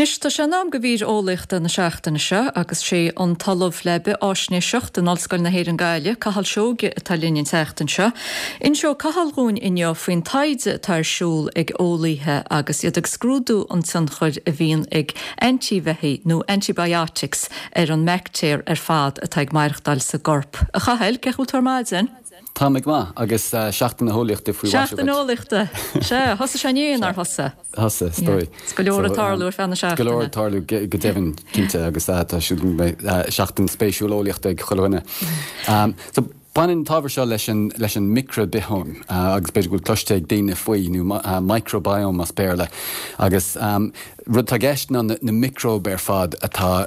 Anois, tá sé in am do mhír eolaíochta na seachtaine seo agus sé an tOllamh le Bith-Fháisnéiseacht in Ollscoil na hÉireann Gaillimh, Cathal Seoige atá linn an tseachtain seo. Inseoidh Cathal dhúinn inniu faoin taighde atá ar siúl ag eolaíthe agus iad ag scrúdú an tionchair a bhíonn ag antaibheathaigh nó antibiotics ar an mbaictéar ar fad atá ag maireachtáil sa gcorp. A Chathail, cén chaoi a bhfuil tú ar maidin? Tá mé go maith, agus Seachtain na hEolaíochta faoi mhaise agat. Seachtain na hEolaíochta! Sea, thosaigh sé inné, nár thosaigh? Thosaigh, is dóigh. Is go leor ag tarlú ar feadh na seachtaine. Go leor ag tarlú, go deimhin, cinnte, agus tá siúl go mbeidh seachtain spéisiúil eolaíochta ag chuile dhuine. So, baineann an t-ábhar seo leis an, leis an micribhióm, agus b'fhéidir go bhfuil cloiste ag daoine faoi, nó microbiome as Béarla, agus Rud atá i gceist ná na miocróib ar fad atá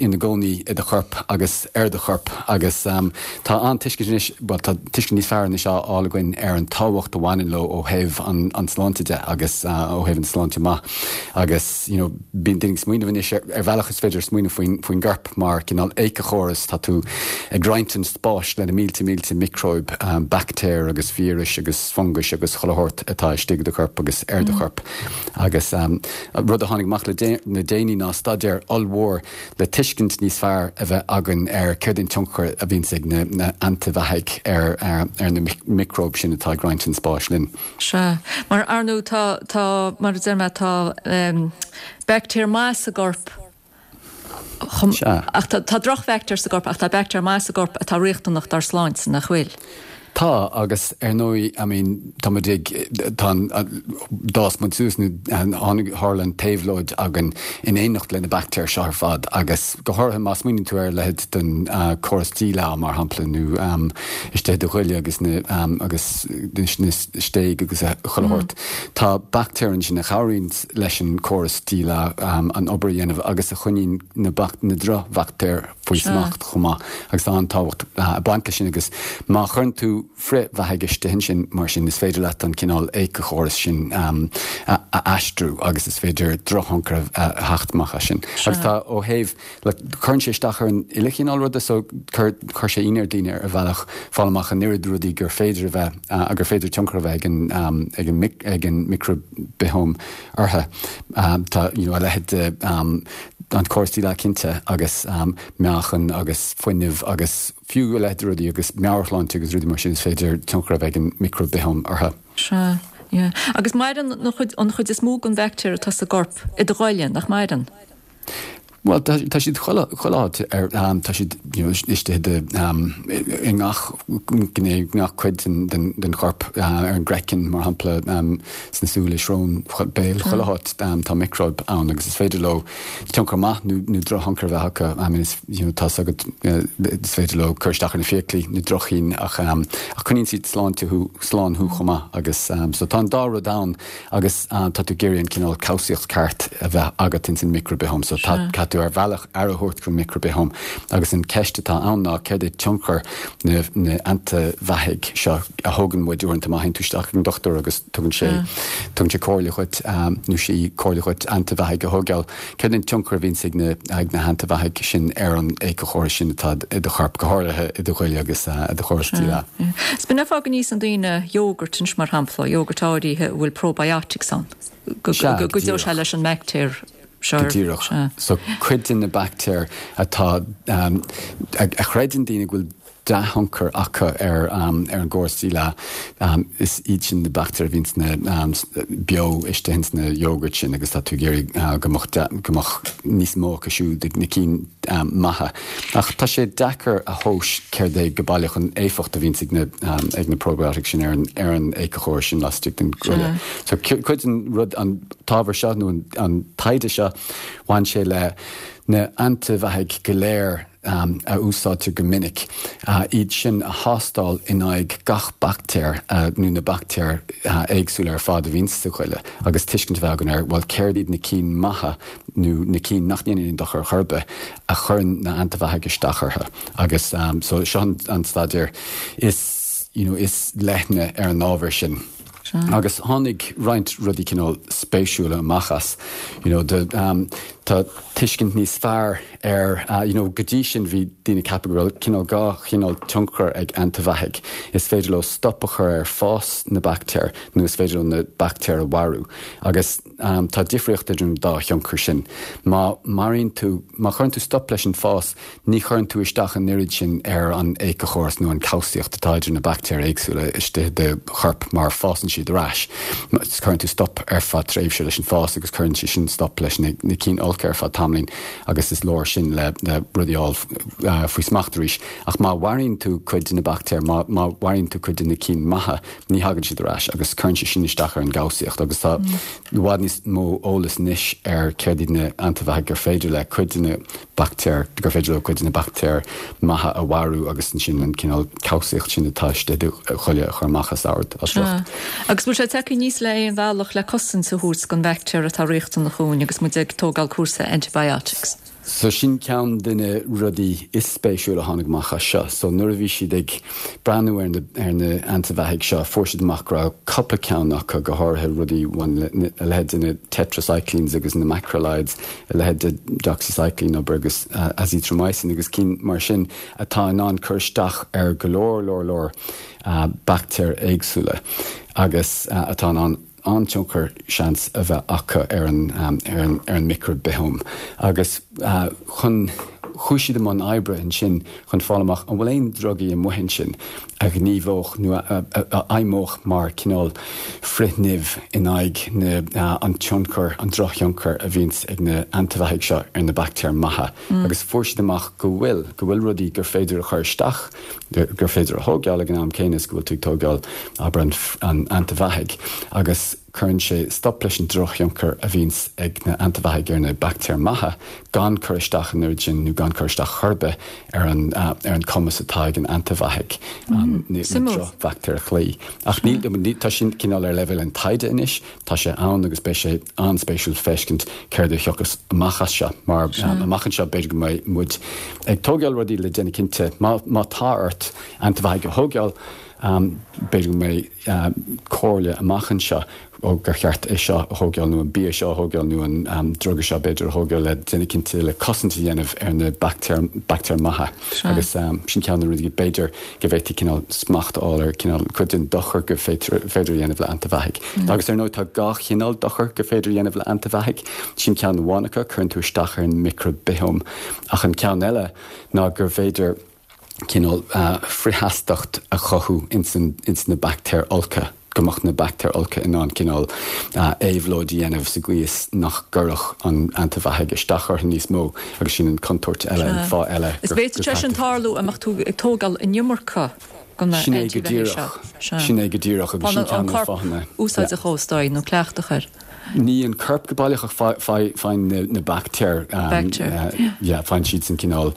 ina gcónaí i do chorp agus ar do chorp agus tá an-tuiscint anois, bhuel tá tuiscint níos fearr anois á fháil againn ar an tábhacht a bhaineann leo ó thaobh an sláinte de agus ó thaobh an sláinte maith agus you know bíonn daoine ag smaoineamh anois ar bhealach is féidir smaoineamh faoin faoin gcorp mar cineál éiceachóras, tá tú ag roinnt an spáis le na mílte mílte miocróib, baictéir agus víris agus fungais agus chuile shórt atá istigh i do chorp agus ar do chorp. Agus rud a tháinig amach le déanaí ná staidéar ollmhór le tuiscint níos fearr a bheith againn ar céard é an tionchar a bhíonns ag na antaibheathaigh ar ar na miocróib sin atá ag roinnt an spáis linn. Sea. Mar, ar ndóigh, tá, tá, mar a deir mé, tá baictéar maith sa gcorp Sea. Ach tá drochbhaictéir sa gcorp ach tá baictéar maith sa gcorp atá riachtanach dár sláinte, nach bhfuil? Tá, agus ar ndóigh, I mean, tá muid ag, tá an, d'fhás muid suas nó tháinig, tharla an t-éabhlóid againn in éineacht le na baictéir seo ar fad agus go háirithe má smaoiníonn tú ar a leithéid den córas díleá, mar shampla, nó istigh i do ghoile agus na, agus na stéig agus chuile shórt, tá baictéir ansin a chabhraíonn leis an córas díleá an obair a dhéanamh agus a choinníonn na drochbhaictéir faoi smacht chomh maith agus tá an-tábhacht ag baint leis sin agus má chuireann tú frithbheathaigh istigh ansin mar sin is féidir leat an cineál éiceachóras sin a aistriú agus is féidir drochthionchar a theacht amach as sin. Agus tá ó thaobh like cuireann sé isteach ar an uile chineál ruda so chuir chuir sé ionadh ar daoine ar bhealach fáil amach an oiread rudaí gur féidir a bheith gur féidir tionchar a bheith ag an ag an ag an micribhióm orthu. Tá you know a leithéid de an córas díleá cinnte agus meáchan agus fuinneamh agus fiú a leithéid de rudaí agus meabhairshláinte agus rudaí mar sin is féidir tionchar a bheith ag an micribhióm orthu. Sea, yeah. Agus maireann an chuid an chuid is mó den bhaictéar atá sa gcorp i do ghoile, nach maireann? Bhuel, tá siad chuile áit ar, tá siad you know istigh i i ngach gné, ngach cuid den den chorp, ar an gcraiceann mar shampla, sna súile, srón, béal, chuile háit tá miocróib ann agus is féidir leo tionchar maith nó nó drochthionchar a bheith acu. I mean is you know tá 's agat is féidir leo cur isteach ar na fiaclaí, na droch-chinn ach ach coinníonn siad sláinte thú, slán thú chomh maith agus so tá an dá rud ann. Agus tá tú ag iarraidh an cineál cobhsaíocht ceart a bheith agat ins an micribhióm. So tá, caithfidh tú ar bhealach aire a thabhairt don micribhióm. Agus an ceist atá ann ná céard é tionchar na, na antaibheathaigh seo a thógann muid uaireanta má théann tú isteach ag an dochtúir agus tugann sé, tugann sé comhairle dhuit, nó sí comhairle dhuit antaibheathaigh a thógáil. Céard é an tionchar a bhíonns ag na, ag na hantaibheathaigh sin ar an éiceachóras sin atá i do chorp, go háirithe i do ghoile agus i do chóras díleá? Is b'in an fáth go n-íosann daoine yogurt anois, mar shampla, yogurt áirithe a bhfuil probiotics ann, go gcuideoidh sé leis an mbaictéar seo. Go díreach. So cuid de na baictéir atá, a chreideann daoine go bhfuil dea-thionchar acu ar an gcóras díleá. Is iad sin na baictéir a bhíonn sna beo istigh ins na yogurt sin agus tá tú ag iarraidh go mbeadh go mbeadh níos mó acu siúd ag na cinn maithe. Ach tá sé deacair a thomhas céard é go baileach an éifeacht a bhíonns ag na ag na probiotics sin ar an ar an éiceachóras sin laistigh den ghoile. So cuid den rud an t-ábhar seo nó an taighde seo bhain sé le na antaibheathaigh go léir a úsáidtear go minic, iad sin a thástáil in aghaidh gach baictéar nó na baictéir éagsúla ar fad a bhíonn sa ghoile agus tuiscint a bheith againn ar, bhuel, céard iad na cinn maithe nó na cinn nach ndéanann aon dochar ar chor ar bith a chuireann na antaibheathaigh isteach orthu. Agus so seo an staidéar is, you know, is leithne ar an ábhar sin. Agus tháinig roinnt rudaí cineál spéisiúla amach as, you know, de. Tá tuiscint níos fearr ar, you know, go dtí sin bhí daoine ag ceapadh go raibh cineál dhá chineál tionchar ag antaibheathaigh. Is féidir leo stop a chur ar fás na baictéar nó is féidir leo na baictéir a mharú. Agus tá difríocht idir an dá thionchar sin. Má maraíonn tú, má chuireann tú stop leis an fás, Ní chuireann tú isteach an oiread sin ar an éiceachóras nó an cobhsaíocht atá idir na baictéir éagsúla istigh i do chorp mar fásann siad ar ais. Cuireann tú stop ar feadh tréimhse leis an fás agus cuireann sé sin stop leis na cinn olca ar feadh tamaillín agus is leor sin le rudaí a fháil faoi smacht arís. Ach má mharaíonn tú cuid de na baictéir, má mharaíonn tú cuid de na cinn maithe, ní thagann siad ar ais agus cuireann sé sin isteach ar an gcobhsaíocht agus tá i bhfad níos mó eolas anois ar céard iad na antaibheathaigh gur féidir le cuid de na baictéir, gur féidir leo cuid de na baictéir maithe a mharú agus ansin an cineál cobhsaíocht sin atá istigh i do ghoile a chur amach as ord, as riocht. Agus bhfuil sé tagtha aníos le aon bhealach le cosaint a thabhairt don bhaictéar atá riachtanach dhúinn agus muid ag tógáil cúrsa antibiotics? So sin ceann de na rudaí is spéisiúla a tháinig amach as seo. So nuair a bhí siad ag breathnú ar na ar na antaibheathaigh seo fuair siad amach go raibh cupla ceann acu, go háirithe rudaí a leithéid de na tetracyclines agus na macrolides, a leithéid de doxycycline, abair, agus azithromycin agus cinn mar sin atá in ann cur isteach ar go leor, leor, leor baictéir éagsúla agus atá in ann an-tionchar, seans, a bheith acu ar an, ar an, ar an micreabithóm. Agus chun, chuaigh siad i mbun oibre ansin chun fáil amach an bhfuil aon drugaí amuigh ansin a ghníomhódh nó a fheidhmeodh mar cineál frith-nimh in aghaidh na, an tionchar, an drochthionchar a bhíonns ag na antaibheathaigh seo ar na baictéir maithe. Agus fuair siad amach go bhfuil, go bhfuil rudaí gur féidir a chur isteach, gur féidir a thógáil ag an am céanna is go bhfuil tú ag tógáil, abair, an antaibheathaigh. Agus cuireann sé stop leis an drochthionchar a bhíonns ag na antaibheathaigh ar na baictéir maithe gan cur isteach an oiread sin nó gan cur isteach chor ar bith ar an ar an cumas atá ag an antaibheathaigh an na drochbhaictéir a chloí. Ach níl tá sin cineál ar leibhéal an taighde anois, tá sé ann agus beidh sé an-spéisiúil feiscint céard a thiocfas amach as seo mar amach anseo b'fhéidir go mbeidh muid ag tógáil rudaí le déanamh cinnte má má tá ort antaibheathaigh a thógáil b'fhéidir go mbeidh comhairle amach anseo ó gur cheart é seo a thógáil nó an bia seo a thógáil nó an druga seo b'fhéidir a thógáil le déanamh cinnte le cosaint a dhéanamh ar na baictéir, baictéir maithe. Agus sin ceann de na rudaí b'fhéidir go bhféadfaí cineál smacht a fháil ar cineál cuid den dochar gur féidir a dhéanamh le antaibheathaigh. Agus ar ndóigh tá dhá chineál dochar gur féidir a dhéanamh le antaibheathaigh. Sin ceann amháin acu, cuireann tú isteach ar an micreabithóm. Ach an ceann eile ná gur féidir cineál frithsheastacht a chothú ins na baictéir olca, go mbeadh na baictéir olca in ann cineál éabhlóid a dhéanamh sa gcaoi is nach gcuirfeadh an antaibheathaigh isteach orthu níos mó agus sin an chontúirt eile, an fáth eile gur. Is b'fhéidir sé sin tarlú a mbeadh tú ag tógáil an iomarca de na antaibheathaigh seo. Sin é go díreach agus sin ceann de na fáthanna. Úsáid a chomhstáigh nó cleachtadh air. Ní an corp go baileach ach faigheann na baictéir, yeah, faigheann siadsan cineál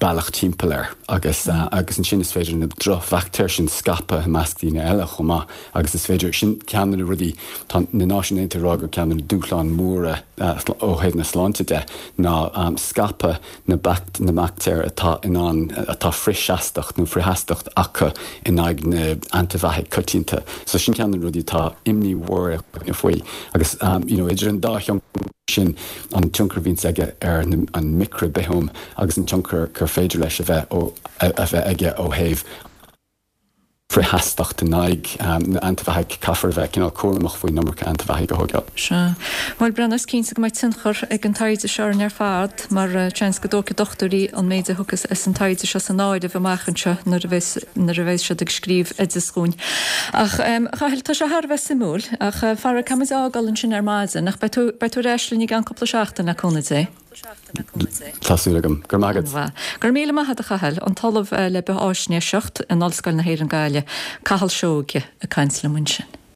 bealach timpeall air agus agus ansin is féidir na drochbhaictéir sin scaipeadh i measc daoine eile chomh maith agus is féidir, sin ceann de na rudaí, tá na Náisiúin Aontaithe ag rá gur ceann de na dúshláin mhóra ó thaobh na sláinte de ná scaipeadh na na baictéir atá in ann, atá frithsheastacht nó frithsheastacht acu in aghaidh na antaibheathaigh coitianta. So sin ceann de na rudaí atá imní mhór ar dhaoine faoi. Agus you know idir an dá thionchar sin, an tionchar a bhíonns aige ar an micreabithóm agus an tionchar gur féidir leis a bheith ó a bheith aige ó thaobh frithsheastacht in aghaidh na antaibheathaigh, caithfear a bheith cineál cúramach faoin iomarca antaibheathaigh a thógáil. Sea. Bhuel, Breandán, is cinnte go mbeidh tionchar ag an taighde seo orainn ar fad, mar seans go dtógfaidh dochtúirí an méid a thiocfas as an taighde seo san áireamh amach anseo nuair a bheas, nuair a bheas siad ag scríobh oideas dhúinn. Ach, a Chathail, tá sé thar a bheith suimiúil, ach faraor caithfidh muid a fhágáil ansin ar maidin, ach beidh tú, beidh tú ar ais linn i gceann cúpla seachtain, le cúnamh Dé. Tá súil agam. Go raibh maith agat. Go raibh míle maith agat a Chathail. An tOllamh le Bithfháisnéiseacht in Ollscoil na hÉireann Gaillimh, Cathal Seoige, ag caint liom ansin.